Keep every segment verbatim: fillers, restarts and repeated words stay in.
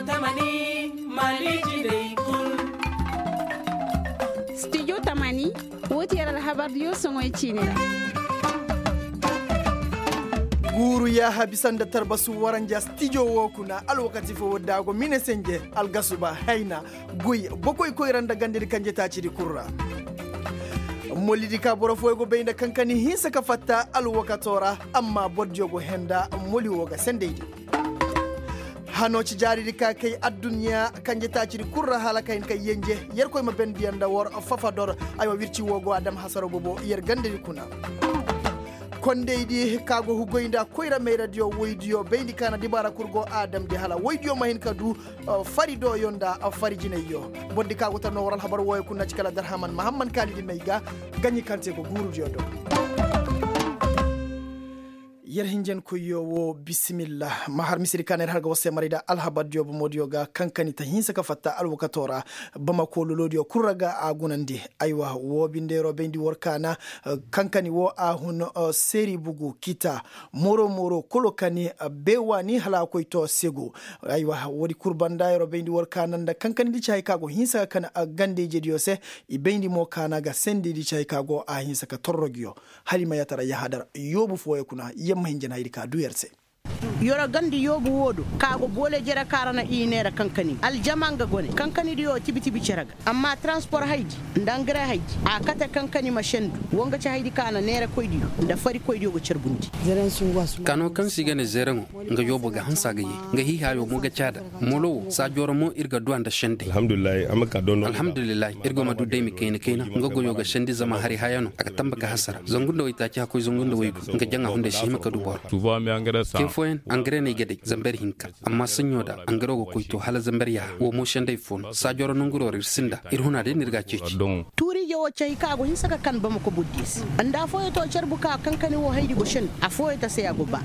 Tamani, mali jiney kul. Studio tamani, wo ti yer alhabardiyo soŋoy ciini ra. Guuru yaaha bisa nda tarbasu waranja studio wo kuna alwakati fo wadda a go mine senje, algasuba, hayna, goy, bokoy koyra nda gandedi kanje taacidi kul ra. Molidi ka boro fooyo go bay nda kankani hinsa ka fatta alwakato ra, amma bordiyo go henda moli wo ga sendaydi. Hano ci jaaridi ka kay adduɲɲa kanje taacidi kul ra hala ka hin ka yenje. Yerkoy ma bendiyaŋ nda war fafador. Aywa, wirci wo go a dam hasaro bobo yer gandedi kuna. Kondaydi ka go hugoy nda koyra mayradiyo woydiyo bayndi ka na dibaara kul go a damndi hala woydiyo ma hin ka du fari doyo nda fari jinayyo. Bordi ka go tar no war alhabar wooyo kuna ci kala darhaman mahamman kaalidi may ga gaɲi kaŋ te go guurudiyo do. Yer hinjankoyyo wo bisimilla. Ma har misiri ka na yer har ga war se maray nda alhabardiyo bomodiyo ga kankani ta hinsa ka fatta alwakato ra. Bamako lolodiyo kul ra ga a gunandi. Aywa, wo bindeero bayndi war kaana. Kankani wo a hun, seeri bugu kita moro moro kolo kani, beewaani hala a koy to sego. Aywa, woodi kul banda yer wo bayndi war kaana nda kankani di ci hay ka go hinsa ga kan ganda-ijediyo se. I bayndi mo kaana ga sendidi ci hay ka go a hinsa ka torro nguyo. Hala i ma yaatara yahadar yoobu fooyo kuna yamma hinja na haydi ka du yer se. Yoro ganda yoobu wo do ka go boole jere ka ra na i neera kankani aljama nga gone kankanidiyo tibi-tibi cere ga. Amma transpor haydi nda angare haydi a kate kankani ma sendu. Wo nga ci haydi ka na neerakoydiyo nda farikoydiyo ga carbundi. Kano kaŋ se i ga ne zereŋo nga yoobo ga hanse a ga ye. Nga hiihaayo mo ga caada. Molo wo saajo ra mo ir ga du a nda sendey. Alhamdulillahi ir go ma du daymi kayna kayna nga goyo ga sendi zama hari haya no a ga tamba ga hasara zangu nda waytaaci hakkoy zangu nda waygu. Nga jaŋa hunday si hima ka du boro. Ke fooyaŋ angare no ay ga day zamber hinka. Amma saɲɲo da angaro ga koy to hala zamber yaaha wo mo sendey fo no saajo ra nanguro ra ir sinda ir huna day no ir ga a ceeci. Tuuriije wo cahi kaŋ a go hinsa ka kan bamako bordiyo se. Nda afooyo to carbu ka kankani wo haydi go sendu afooyo ta se a go ba.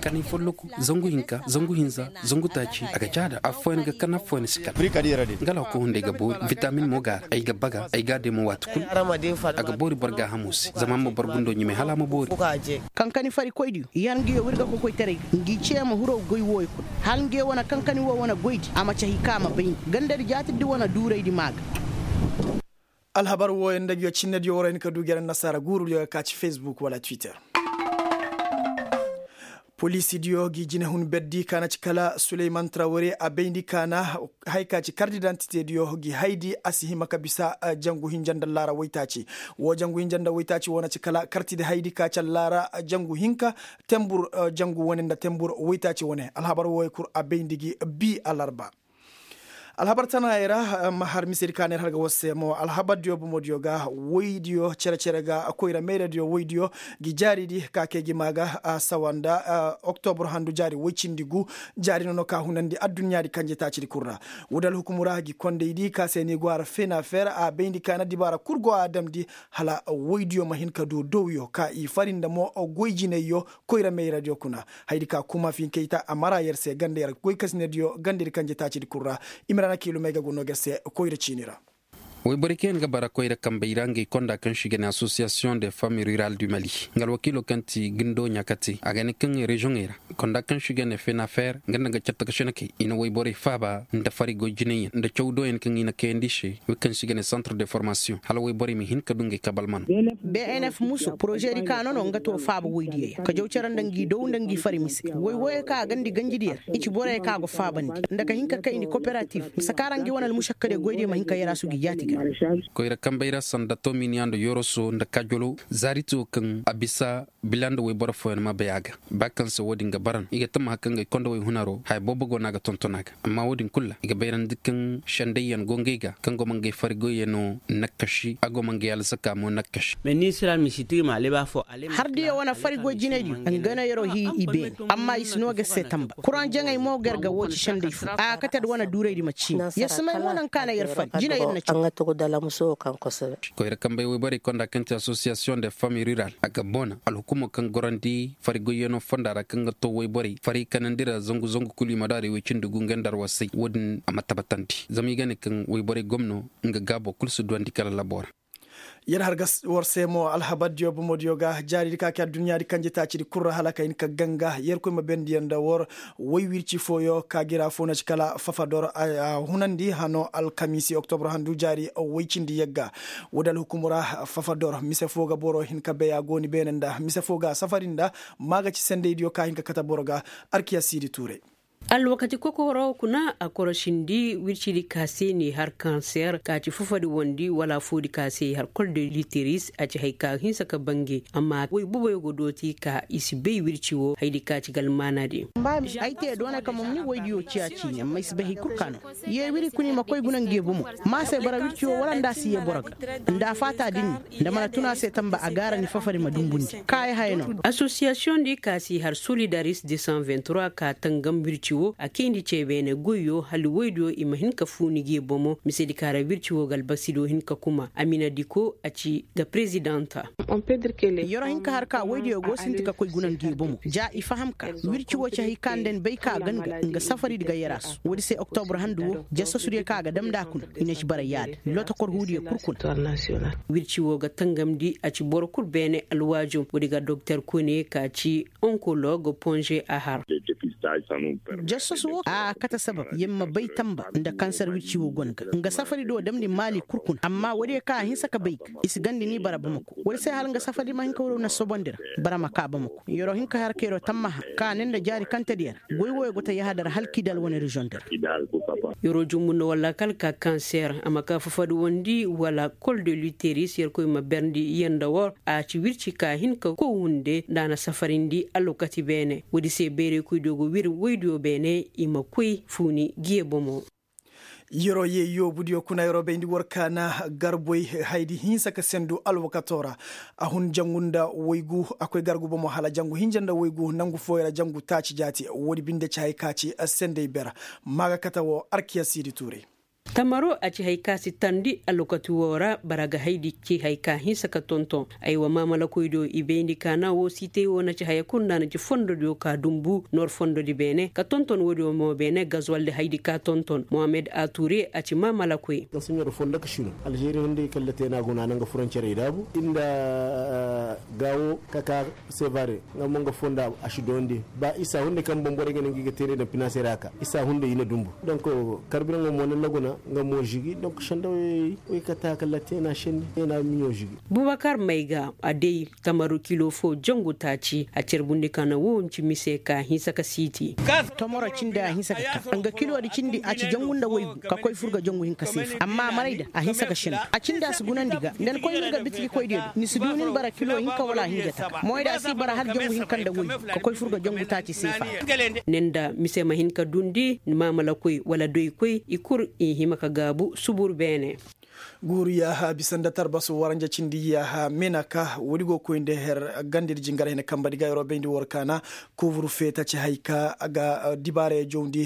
Kanay folloku zangu hinka zangu hinza zangu taaci a ga caada afooyaŋ ga kan afooyaŋ si kan. Nga alhako hunday ga boori vitamin mo ga a ra ay ga baga ay ga a deemo waati kul. A ga boori boro gaahamo se zama a ma boro gundo ɲumay hala a ma boori. Kankani farikoydiyo yer nguyo wirga kokoytaray ga ngi cee ma hiro goy wooyo kul. Hala nguyo wane kankani wo wane goydi a ma cahi ka a ma bay nda gandadi jaatirdi wane duuraydi maa ga. Alhabar wooyo nda nguyo cinnediyo war a hin ka du gere annasaara guurudiyo ga ka ci facebook wala twitter. Poliisidiyo gi jinehun berdi ka na ci kala suleyman trawre a bayndi ka na haya ka ci karti dantitediyo gi haydi a si hima ka bisa jangu hinja nda laara waytaaci. Woo jangu hinja nda waytaaci woo na ci kala kartidi haydi ka ci allaara jangu hinka tembur jangu wane nda tembur waytaaci wane alhabar wooyo kul a bayndi gi bi alarba. Alhabar tanaayey ra ma har misedi ka neer har ga war se mo alhabardiyo bomodiyo ga woydiyo cere-cere ga koyra mayradiyo woydiyo gi jaaridi ka kay gi maa ga a sawa nda oktobur handu jaari woy cindi gu. Jaari nono ka hunandi adduɲɲaadi kanje taacidi kul ra. Woodi alhukumu ra gi kondaydi ka se ni go a ra fenafer a bayndi ka na dibaara kul go a damndi hala woydiyo ma hin ka du dowyo ka i fari nda mo goy jinayyo. Koyra mayradiyo kuna haydi ka kuma finkey ta a mara yer se ganda yer goykasinediyo gandedi kanje taacidi kul ra. I ma ra na kiilumey ga go no ga yer se koyra ciini ra. Woyborey kaŋ yaŋ ga bara koyra kambey ra ngey konda kaŋ se i ga ne association de famille rurale du mali nga alwakiilo kaŋ ti gundo ɲaakate a ga ne kaŋ reziyoŋey ra konda kaŋ se i ga ne fenafer nga nda nga catta ga senekey i na woyborey faaba nda fari goy jinay yaŋ nda caw do yaŋ kaŋ i na kayandi i se. Wey kaŋ se i ga ne centre de formation hala woyborey ma hin ka du ngey kabalmano. Bnf muso porozedi ka no no nga to faaba woydiyo yaŋ ka jaw care nda ngi dow nda ngi fari mise. Woy wooyo kaŋ a gandi ganjidi yer i ci borey kaŋ a go faabandi nda ka hin ka kayndi koperatif ma sakaara ngi wane almušakkadiyo goydiyo ma hin ka yaraasu gi jaati ga. Koyra kambey ra sanda tominiya nda yoroso nda kajolo zaariti wo kaŋ a bisa bila nda woyboro fooyaŋ ma bay a ga. Ba kaŋ se wo-din ga bara no i ga tammaha kaŋ ga ay konda woy hunaro haya boobo go no a ga tonton a ga. Amma wo-din kulu ra i ga bayrandi kaŋ sendayyaŋ go ngey ga kaŋ go ma ngey fari goyyaŋo nakkasi a go ma ngey alzaka mo nakkasi. Hardiyo wane fari goy jinaydiyo nga no yer'o hii i beene. Amma i si no ga se tamba kuraŋ jaŋay mo ga yer ga woo ci senday fo a ga kate nda wane duuraydi ma ciini yer si may mo naŋ ka na yer fari jinay yer na ci. Koyra kambey woyborey konda kaŋ ti association de famille rural a ga boona alhukumo kaŋ gorandi fari goyyaŋo fonda ra kaŋ ga to woyborey fari kanandi ra zangu zangu kulu i ma du a ra i woy cindi gu nga nda arwasay wo-din a ma tabatandi zama i ga ne kaŋ woyborey gomno nga gaabo kulu si duwandi kala labo ra. Yer har ga war se mo alhabardiyo bomodiyo ga jaaridi ka ke adduɲɲaadi kanjetaacidi kul ra hala ka hin ka ganga yerkoy ma bendiyaŋ nda war way wirci fooyo ka gira foo na ci kala fafador a hunandi hano alkamiisi oktobro handu jaari way cindi yagga. Woodi alhukumu ra fafador mise foo ga boro hin ka bay a go ni beene nda mise foo ga safari nda ma ga ci sendaydiyo ka hin ka kate boro ga. Arkiya siidi tuuray. Alwakati kokooro kuna a korosindi wircidi ka se n'i har kanser ka ci fufadi wondi wala foodi ka se i har kol de literis a ci hay ka hinsa ka bange amma way boboyo go dooti ka i si bay wirci wo haydi ka ci ga almaanadi. Ay te doonay ka momni waydiyo ciya ciine amma ay si bay hay kul ka no. Ye wiri kuna i ma koy guna nge bomo. Ma se bara wirci wo wala nda a si ye boro ga nda a faata din. Nda mana tun a se tamba a gaara ni fafari ma dumbundi ka ay haya no. Asosiyasiyoŋ di ka si har solidaris de san vingt trois ka tangam wirci wo a kayndi cee beene goyyo hala woydiyo i ma hin ka fuuni ge bomo misedi ka ra wirci wo ga albasido hin ka kuma amina diko a ci ga prezidanta. Yero hin ka har ka woydiyo go sinti ka koy guna nge bomo ja i faham ka wirci wo ci hay ka nda ni bay ka a gan ga nga safaridi ga yarasu woodi se oktobro handu wo jasasudiyo ka a ga dam nda a kuna i na ci bara yaada. Lotokor huudiyo kul kuna. Wirci wo ga tangamndi a ci boro kul beene alwaajo woodi ga doktor kone ka ci onkolog ponze a har. Jassasu wo a kate sabab yer ma bay tamba nda kansar wirci wo go ni ga nga safari do damndi maali kul kuna amma woodiyo kaŋ a hinsa ka bay ga i si gandi ni bara bamako woodi se hala nga safari ma hin ka woodiyo na sobondi ra. Bara ma ka bamako yeroo hin ka har ka yeroo tammaha kaŋ a ne nda jaari kantediyo ra goy wooyo go ta yahadar halki da alwane reziyoŋ di ra. Yeroo jumbu nda walla kal ka kanser a ma ka fafadi wondi wala kol de luteris yerkoy ma berndi yer nda wor a ci wirci ka hin ka kow hunde nda a na safarindi alwakati beene woodi se beeraykoydiyo go wir woydiyo beene i ma koy fuuni giye bomo. Yeroo ye yoobudiyo kuna yeroo bayndi war kaana garboy haydi hinsa ka sendu alwakatoo ra. A hun jangu nda waygu a koy gargu bomo hala jangu hinja nda waygu nangu fooyo ra jangu taaci jaati woodi binde ci hay ka ci sendey bera. Maa ga kate woo arkiya siidi tuuray. Tamaro a ci hay ka si tandi alwakati woo ra bara ga haydi ci hay ka hinsa ka tonton. Aywa maamalakoydiyo i bayndi kaana woo siitay woo na ci haya kul nda a na ci fondodiyo ka dumbu noor fondodi beene ka tonton woodiyo mo beene gazwaldi haydi ka tonton mohammed ature a ci maamalakoy. Nga si ɲoro fondo ka sino alžeri hunday kalla te no a go no a na nga furancerey daabu i nda gaawo ka ka sevare nga mo nga fondo a si doondi ba isa hunday kaŋ boŋ borey ga ne nga i ga teerey daŋ finansera ka isa hunday i na dumbu donk karbiraŋo mo na laguna nga mo žigi donk sendawey wey ka ta kalla te no a sendi te no a miɲo žigi. Bubakar mayga a day tamaru kilo fo jangu taaci a carbundi ka na wo nci mise ka hinsa ka siiti. Tomoro cindi a hinsa ka ka nga kilodi cindi a ci jangu nda waygu ka koy fur ga jangu hinka seefa amma a maray da a hinsa ka sindi a cindi a si gunandi ga nda ni koy ni nga bitigi koydiyo do ni si du nin bara kilo hinka wala a hinja taka moy da a si bara hala jangu hinka nda waygu ka koy fur ga jangu taaci seefa. Nin da mise ma hin ka dundi ni maamalakoy wala doykoy i kul i hima ka gaabu subur beene. Guuru yaaha bisa nda tarbasu waranja cindi yaaha menaka woodi go koy nda her gandedi jingar hene kambadi ga yeroo bayndi war kaana. Kuuburu feeta ci hay ka ga dibaarey jawndi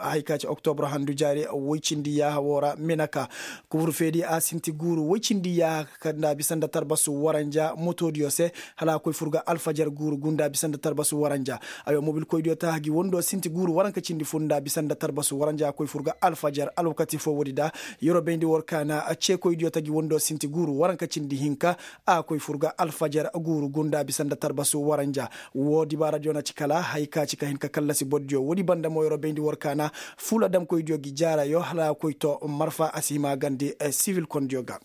hay ka ci oktobro handu jaari woy cindi yaaha woo ra menaka. Kuuburu feedi a sinti guuru woy cindi yaaha ka nda bisa nda tarbasu waranja motoodiyo se hala a koy fur ga alfajar guuru gunda bisa nda tarbasu waranja. Aywa mobilkoydiyo taaha gi wondo sinti guuru waranka cindi fur nda bisa nda tarbasu waranja a koy fur ga alfajar alwakati foo woodi da. Yeroo bayndi war kaana ceekoydiyo ta gi wondo sinti guuru waranka cindi hinka a koy fur ga alfajar guuru gunda bisa nda tarbasu waranja. Woo dibaaradiyo na ci kala hay ka ci ka hin ka kallasi bordiyo woodi banda mo yeroo bayndi war kaana fuula damkoydiyo gi jaarayo hala a koy to marfa a si hima gandi sibil kondiyo ga.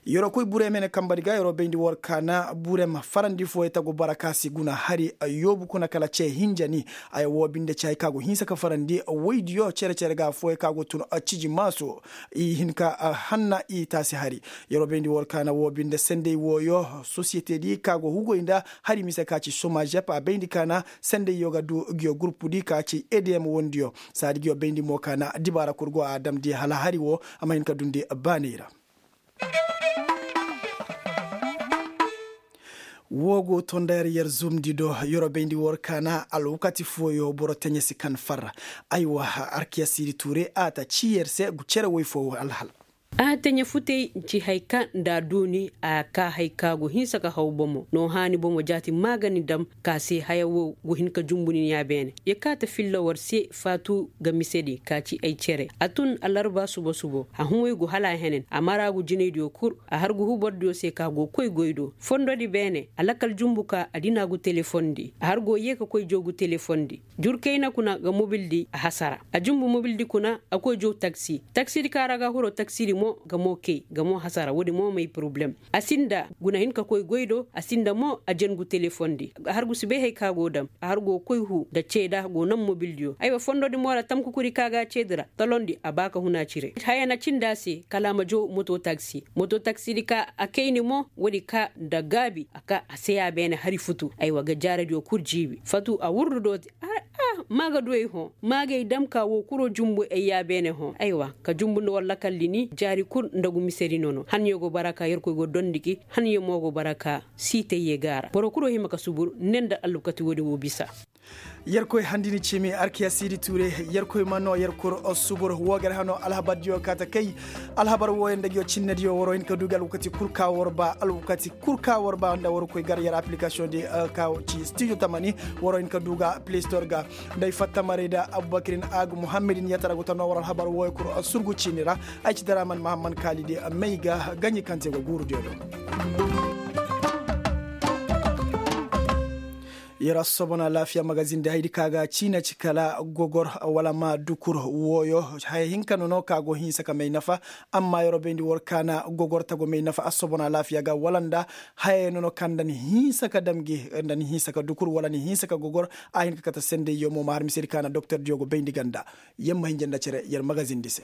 Yeroo koy burem hene kambadi ga yeroo bayndi war kaana burem farandi fooyo tagu bara ka si guna hari yoobu kuna kala cee hinja ni. Ay woo binde ci hay ka go hinsa ka farandi woydiyo cere-cere ga fooyo ka go tun ciji maaso i hin ka hanna i taasi hari. Yeroo bayndi war kaana woo binde sendey wooyo sosiyetedi ka go hugoy nda hari mise ka ci somajep a bayndi kaana sendey yo ga du ngiyo gurupudi ka ci edm wondiyo. Saadi ngiyo bayndi mo kaana dibaara kul go a damndi hala hari woo a ma hin ka dundi baaney ra. Woo go to nda yer yer zumndi do yer wo bayndi war kaana alwakati fooyo boro teɲe si kan farra. Aywa, arkiya siidi tuure a ta cii yer se gu cere woy foo alhal. A teɲe futey ci haya ka nda a duuni a ka haya ka go hinsa ka haw bomo no haani bomo jaati maagani dam ka se haya wo go hin ka jumbu nin ya beene. Ya kaata filla war se faatu ga mise di ka ci ay cere a tun alarba suba subo a humay go hala a henen a maraagu jinaydiyo kul. A har go hubardiyo se ka go koy goy do fondodi beene a lakal jumbu ka a dina gu telefondi a har go yee ka koy joogu telefondi. Jur kayna kuna ga mobildi a hasara a jumbu mobildi kuna a koy jow taksi taksidi ka ra ga huro taksidi mo ga mo kay ga mo hasara woodi mo may poroblem. A sinda guna hin ka koy goy do a sinda mo a jangu telefondi. A har go si bay hay ka go dam a har go koy hu nda ceeda go nam mobildiyo aywa fondodi mo ra tamkukuri ka ga ceedi ra talondi a ba ka huna cire haya na cindi a se kala a ma jow moto taksi moto taksidi ka a kayni mo woodi ka nda gaabi a ka a se ya beene hari futu aywa ga jaaradiyo kul jiibi fatu a wurdu dooti. Maa ga du ay hõ maa ga ay dam ka woo kuro jumbu ay yaabeene hõ aywa ka jumbu nda war lakalli ni jaari kul nda gu misedi nono hanyo go bara ka yerkoy go dondi gi hanyo mo go bara ka siitayye ga a ra boro kuro hima ka subur ne nda alwakati woodin wo bisa. Yerkoy handini ciimi arkiya siidi tuure yerkoy ma noo yer kul subur woo ga ay hano alhabardiyo kaata kay alhabar wooyo nda nguyo cinnediyo waroo hin ka du gi alwakati kul ka war ba alwakati kul ka war ba nda war koy gar yer aplikasiyoŋ di ka ci stijo tamani waroo hin ka du ga play store ga. Nda ay fatta maray nda abubakirin agu muhammadin yatara go ta noo war alhabar wooyo kul surgu ciini ra. Ay ci daraman mahamman kaalidi may ga gaɲi kaŋ te go guurudiyo do. Yer assobon alaafiya magazin di haydi ka ga ciina ci kala gogor wala ma dukur wooyo haya hinka nono ka go hinsa ka may nafa. Amma yeroo bayndi war kaana gogor ta go may nafa assobon alaafiya ga wala nda haya nono ka nda ni hinsa ka dam gi nda ni hinsa ka dukur wala ni hinsa ka gogor. A hin ka kate sendey yo mo ma har misedi ka na doktor diyo go bayndi ganda. Yer ma hinja nda cere yer magazin di se.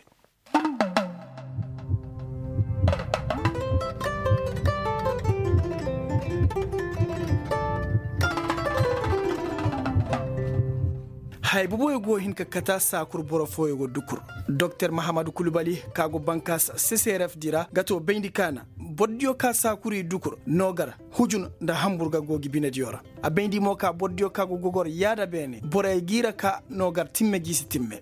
Haya boboyo go hin ka kata saakur boro fooyo go dukur. Doktor mahamadu kulubali ka go bankaas seseref di ra ga to bayndi kaana borodiyo ka saakur i dukur no gar hujun nda hambur ga go gi binediyo ra. A bayndi mo ka borodiyo ka go gogor yaada beene borey g'i ra ka no gar timme g'i si timme.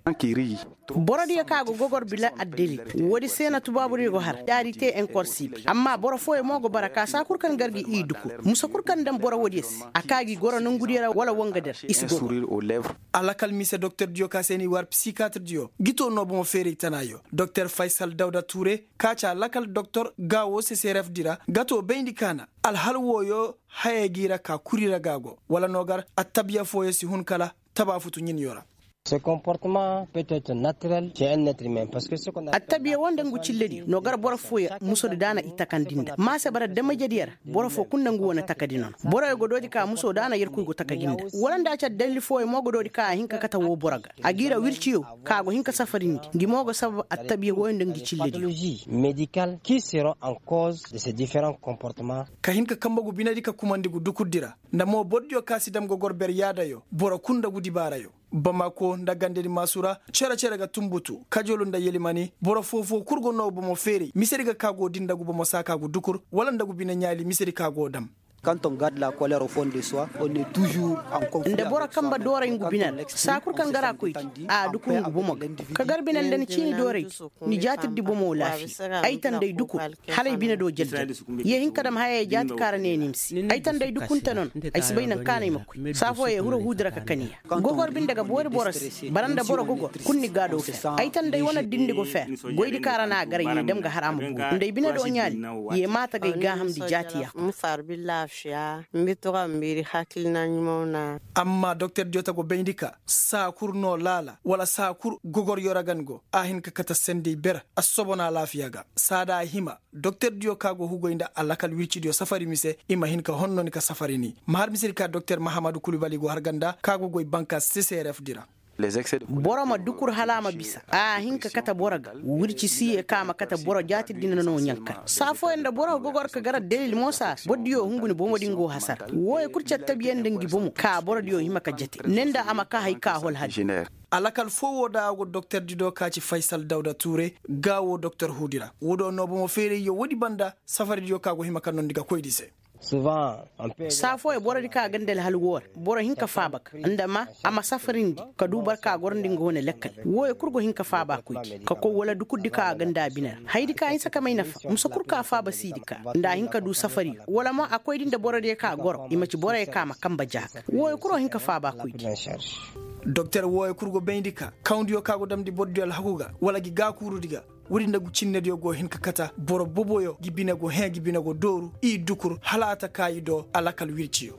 Borodiyo ka go gogor bila addalil. Woodi se na tubaaburiyo go har yaadi te enkorsibi amma boro fooyo mo go bara ka saa kul kaŋ gar gi i duku musa kul kaŋ daŋ boro woodiyo se a ka gi goro nongudiyo ra wala wangadiyo ra i si gogor. A lakal mise doktordiyo ka se n'i war psikaatirdiyo gi to no bomo feeray tanaayo doktor faysal dawda tuure ka ci a lakal doktor gaawo seserefdi ra ga to bayndi kaana. Alhal wooyo haya g'i ra ka kuri ra ga go wala no gar attabiya fooyo si hun kala taba futu ɲiniyo ra. Attabiya wo nda ngu cillediyo no gar boro fooyo musodi daana i takandi nda maase bara damajediyo ra. Boro foo kul nda ngu wo na takandi nono boroyo go doodi ka musoo daana yerkoy go takandi nda wala nda a ci addalil fooyo mo go doodi ka a hin ka kate woo boro ga a g'i ra wirciyo ka go hin ka safarindi ngi mo go sabab attabiya wooyo nda ngi cillediyo. Ka hin ka kambe gu binedi ka kumandi gu dukurdi ra nda mo borodiyo ka si dam gogor ber yaadayo boro kul nda gu dibaarayo. Bamako nda gandedi maasu ra cere-cere ga tunbutu kajolu nda yelimani boro foo-foo kul go noo bomo feeray misedi ga ka go di nda gu bomo saaka gu dukur wala nda gu bine ɲaali misedi ka go dam. Nda boro kambe dooray ngu bine ra saa kul kaŋ ga ra koy di a dukur ngu bomo ga ka gar bine nda ni ciini dooray. Ni jaatirdi bomo laafiya ay tanday dukur hala ay bine do jel-jel. Ye hin ka dam hayey jaati kaŋ ra ne ni ma si ay tanday dukunte nono. Ay si bay nangu kaŋ no ay ma koy saa fooyaŋ huro huudi ra ka kaniya. Gogor binde ga boori boro se bara nda boro gogor kul ni gaado fer ay tanday wane dindi go fer. Goydi kaŋ ra no a gar ye dam ga har a ma boori nda ay bine do ɲaali. Ye maata ga ay gaahamndi jaati ya kul. Amma doktor diyo ta go bayndi ka saa kul no laala wala saa kul gogor yoragan go a hin ka kate sendey ber. Assobon alaafiya ga saa da a hima doktor diyo ka go hugoy nda alakal wircidiyo safari mise i ma hin ka honnoni ka safari ni ma har misedi ka doktor mahamadu kulubali go har ganda ka go goy banka seseref di ra. Boro ma dukur hala a ma bisa a hin ka kate boro ga. Wirci si ye ka ma kate boro jaati din no ɲankar saa fooyaŋ nda boro ga gogor ka gar addalil mo saa se boro diyo hungu ni bomo din go hasara wooyo kul cattabiyaŋ nda ngi bomo ka boro diyo hima ka jate ne nda a ma ka hay ka hol hadi. Alakal foo woo da a go doktordi do ka ci faysal dawda tuure ga woo doktor huudi ra woo do no bomo feerayyo woodi banda safaridiyo ka go hima ka nondi ga koydi se. Saa fooyaŋ borodi kaŋ a ga nda alhal woo ra boro hin ka faaba ka nda ma a ma safarindi ka du boro kaŋ a gorandi nga wane lakkal. Wooyo kul go hin ka faaba koydi ka koy wala dukurdi kaŋ a ga nda a bine ra hayadi kaŋ a hinsa ka may nafa musa kul kaŋ a faaba siidi ka nda a hin ka du safariyo wala mo a koydi nda borodiyo kaŋ a goro i ma ci boroyo kaŋ a ma kanba jaaka. Wooyo kul go hin ka faaba koydi. Doktor wooyo kul go bayndi ka kawndiyo kaŋ a go damndi borodiyo alhaku ga wala gi gaakuurudi ga. Woodi nda cinnediyo go hin ka kata boro boboyo gi bine go hẽe gi bine go dooru i dukur hala a ta kaa i do a lakal wirciyo.